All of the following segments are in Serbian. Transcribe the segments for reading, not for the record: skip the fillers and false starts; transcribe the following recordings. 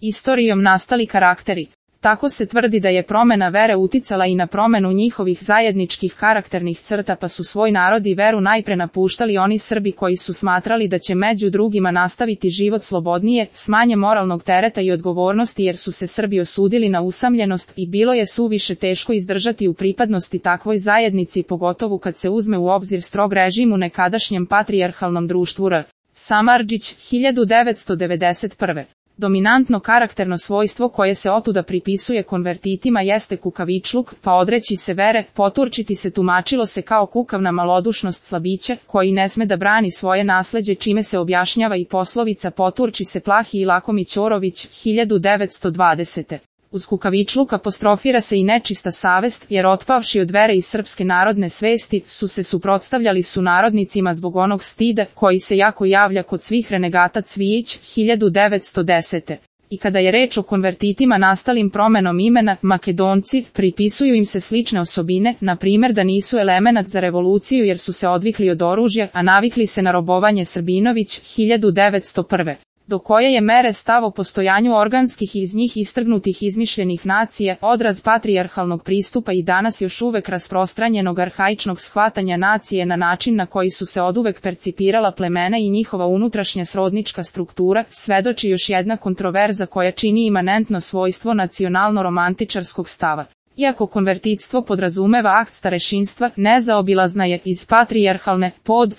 istorijom nastali karakteri. Tako se tvrdi da je promena vere uticala i na promenu njihovih zajedničkih karakternih crta, pa su svoj narod i veru najpre napuštali oni Srbi koji su smatrali da će među drugima nastaviti život slobodnije, s manje moralnog tereta i odgovornosti, jer su se Srbi osudili na usamljenost i bilo je suviše teško izdržati u pripadnosti takvoj zajednici, pogotovo kad se uzme u obzir strog režim u nekadašnjem patrijarhalnom društvu R. Samardžić, 1991. Dominantno karakterno svojstvo koje se otuda pripisuje konvertitima jeste kukavičluk, pa odreći se vere, poturčiti se tumačilo se kao kukavna malodušnost slabića, koji ne sme da brani svoje nasleđe, čime se objašnjava i poslovica poturči se plahi i lakomi Ćorović, 1920. Uz kukavičluk apostrofira se i nečista savest, jer otpavši od vere i srpske narodne svesti, su se suprotstavljali sunarodnicima zbog onog stida, koji se jako javlja kod svih renegata. Cvijić, 1910. I kada je reč o konvertitima nastalim promenom imena, Makedonci, pripisuju im se slične osobine, na primjer da nisu elemenat za revoluciju jer su se odvikli od oružja, a navikli se na robovanje. Srbinović, 1901. Do koje je mere stav o postojanju organskih i iz njih istrgnutih izmišljenih nacija, odraz patrijarhalnog pristupa i danas još uvek rasprostranjenog arhaičnog shvatanja nacije na način na koji su se oduvek percipirala plemena i njihova unutrašnja srodnička struktura, svedoči još jedna kontroverza koja čini imanentno svojstvo nacionalno-romantičarskog stava. Iako konvertitstvo podrazumeva akt starešinstva, nezaobilazna je iz patrijarhalne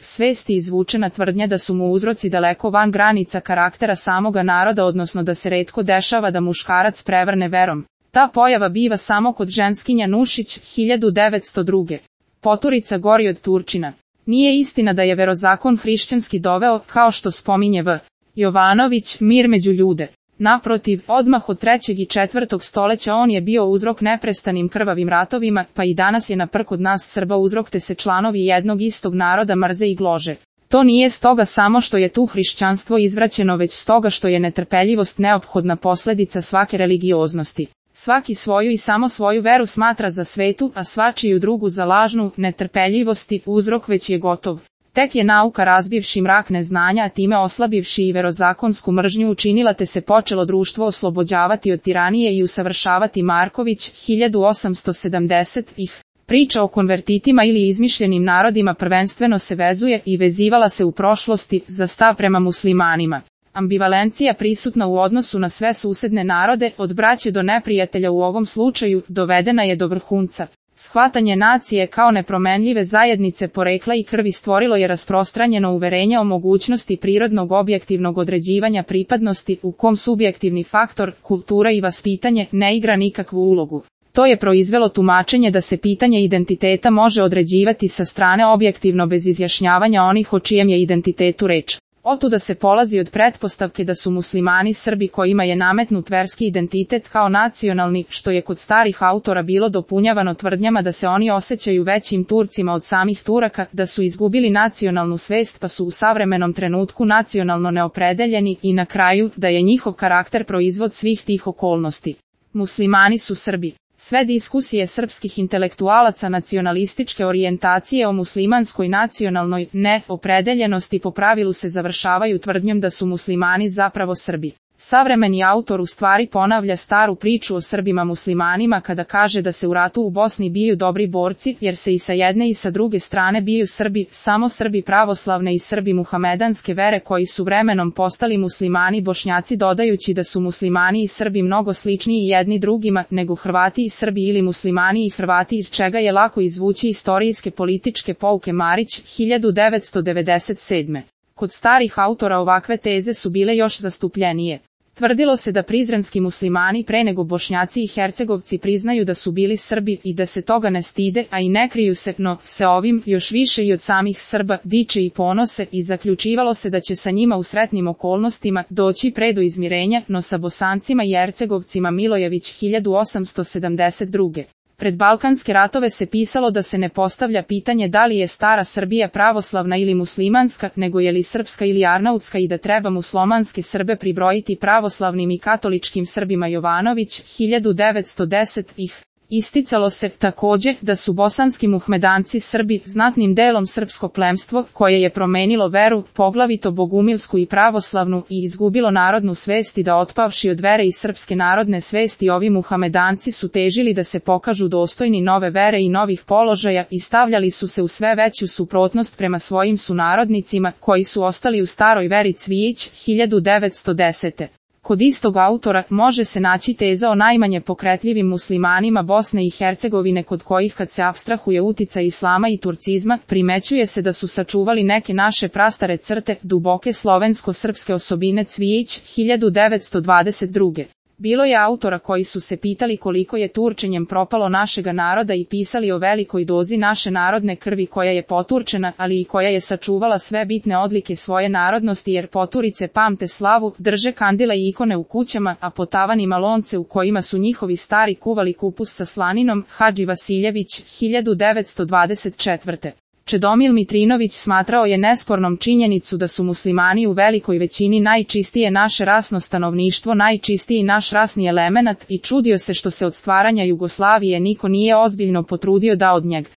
svesti izvučena tvrdnja da su mu uzroci daleko van granica karaktera samoga naroda, odnosno da se retko dešava da muškarac prevrne verom. Ta pojava biva samo kod ženskinja. Nušić, 1902. Poturica gori od Turčina. Nije istina da je verozakon hrišćanski doveo, kao što spominje V. Jovanović, mir među ljude. Naprotiv, odmah od 3. i 4. stoleća on je bio uzrok neprestanim krvavim ratovima, pa i danas je na prk od nas Srba uzrok, te se članovi jednog istog naroda mrze i glože. To nije stoga samo što je tu hrišćanstvo izvraćeno, već stoga što je netrpeljivost neophodna posledica svake religioznosti. Svaki svoju i samo svoju veru smatra za svetu, a svačiju drugu za lažnu. Netrpeljivosti uzrok već je gotov. Tek je nauka, razbivši mrak neznanja, a time oslabivši i verozakonsku mržnju, učinila, te se počelo društvo oslobođavati od tiranije i usavršavati. Marković, 1870. Priča o konvertitima ili izmišljenim narodima prvenstveno se vezuje i vezivala se u prošlosti za stav prema muslimanima. Ambivalencija prisutna u odnosu na sve susedne narode, od braće do neprijatelja u ovom slučaju, dovedena je do vrhunca. Shvatanje nacije kao nepromenljive zajednice porekla i krvi stvorilo je rasprostranjeno uverenje o mogućnosti prirodnog objektivnog određivanja pripadnosti, u kom subjektivni faktor, kultura i vaspitanje, ne igra nikakvu ulogu. To je proizvelo tumačenje da se pitanje identiteta može određivati sa strane objektivno bez izjašnjavanja onih o čijem je identitetu reč. Otuda se polazi od pretpostavke da su muslimani Srbi kojima je nametnut verski identitet kao nacionalni, što je kod starih autora bilo dopunjavano tvrdnjama da se oni osjećaju većim Turcima od samih Turaka, da su izgubili nacionalnu svest pa su u savremenom trenutku nacionalno neopredeljeni i na kraju da je njihov karakter proizvod svih tih okolnosti. Muslimani su Srbi. Sve diskusije srpskih intelektualaca nacionalističke orijentacije o muslimanskoj nacionalnoj neopredeljenosti po pravilu se završavaju tvrdnjom da su muslimani zapravo Srbi. Savremeni autor u stvari ponavlja staru priču o Srbima muslimanima kada kaže da se u ratu u Bosni biju dobri borci, jer se i sa jedne i sa druge strane biju Srbi, samo Srbi pravoslavne i Srbi muhamedanske vere koji su vremenom postali muslimani Bošnjaci, dodajući da su muslimani i Srbi mnogo sličniji jedni drugima nego Hrvati i Srbi ili muslimani i Hrvati, iz čega je lako izvući istorijske političke pouke. Marić, 1997. Kod starih autora ovakve teze su bile još zastupljenije. Tvrdilo se da prizrenski muslimani pre nego Bošnjaci i Hercegovci priznaju da su bili Srbi i da se toga ne stide, a i ne kriju se, no se ovim, još više i od samih Srba, diče i ponose i zaključivalo se da će sa njima u sretnim okolnostima doći pre do izmirenja, no sa Bosancima i Hercegovcima. Milojević, 1872. Pred Balkanske ratove se pisalo da se ne postavlja pitanje da li je stara Srbija pravoslavna ili muslimanska, nego je li srpska ili arnautska i da treba muslimanske Srbe pribrojiti pravoslavnim i katoličkim Srbima. Jovanović, 1910. Isticalo se, takođe, da su bosanski muhmedanci Srbi znatnim delom srpsko plemstvo, koje je promenilo veru, poglavito bogumilsku i pravoslavnu, i izgubilo narodnu svest i da otpavši od vere i srpske narodne svesti ovi muhamedanci su težili da se pokažu dostojni nove vere i novih položaja i stavljali su se u sve veću suprotnost prema svojim sunarodnicima, koji su ostali u staroj veri. Cvijić, 1910. Kod istog autora može se naći teza o najmanje pokretljivim muslimanima Bosne i Hercegovine, kod kojih, kad se apstrahuje uticaj islama i turcizma, primećuje se da su sačuvali neke naše prastare crte, duboke slovensko-srpske osobine. Cvijić, 1922. Bilo je autora koji su se pitali koliko je turčenjem propalo našega naroda i pisali o velikoj dozi naše narodne krvi koja je poturčena, ali i koja je sačuvala sve bitne odlike svoje narodnosti, jer poturice pamte slavu, drže kandile i ikone u kućama, a po tavanima lonce u kojima su njihovi stari kuvali kupus sa slaninom. Hadži Vasiljević, 1924. Čedomil Mitrinović smatrao je nespornom činjenicu da su muslimani u velikoj većini najčistije naše rasno stanovništvo, najčistiji naš rasni elemenat, i čudio se što se od stvaranja Jugoslavije niko nije ozbiljno potrudio da od njega